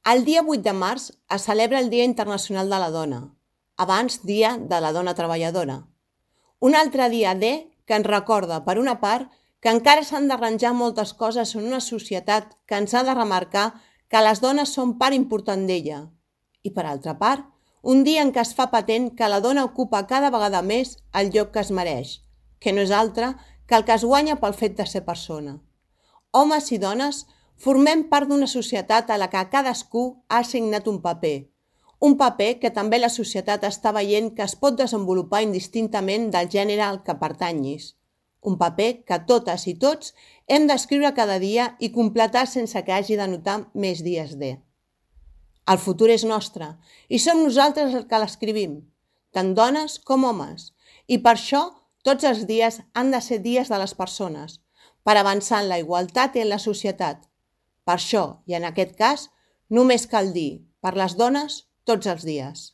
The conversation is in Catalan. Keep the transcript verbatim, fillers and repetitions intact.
El dia vuit de març es celebra el Dia Internacional de la Dona, abans Dia de la Dona Treballadora. Un altre dia D que ens recorda, per una part, que encara s'han d'arranjar moltes coses en una societat que ens ha de remarcar que les dones són part important d'ella. I per altra part, un dia en què es fa patent que la dona ocupa cada vegada més el lloc que es mereix, que no és altre que el que es guanya pel fet de ser persona. Homes i dones formem part d'una societat a la que cadascú ha assignat un paper, un paper que també la societat està veient que es pot desenvolupar indistintament del gènere al que pertanyis, un paper que totes i tots hem d'escriure cada dia i completar sense que hagi de notar més dies D. El futur és nostre i som nosaltres els que l'escrivim, tant dones com homes, i per això tots els dies han de ser dies de les persones, per avançar en la igualtat i en la societat. Per això, i en aquest cas, només cal dir per les dones tots els dies.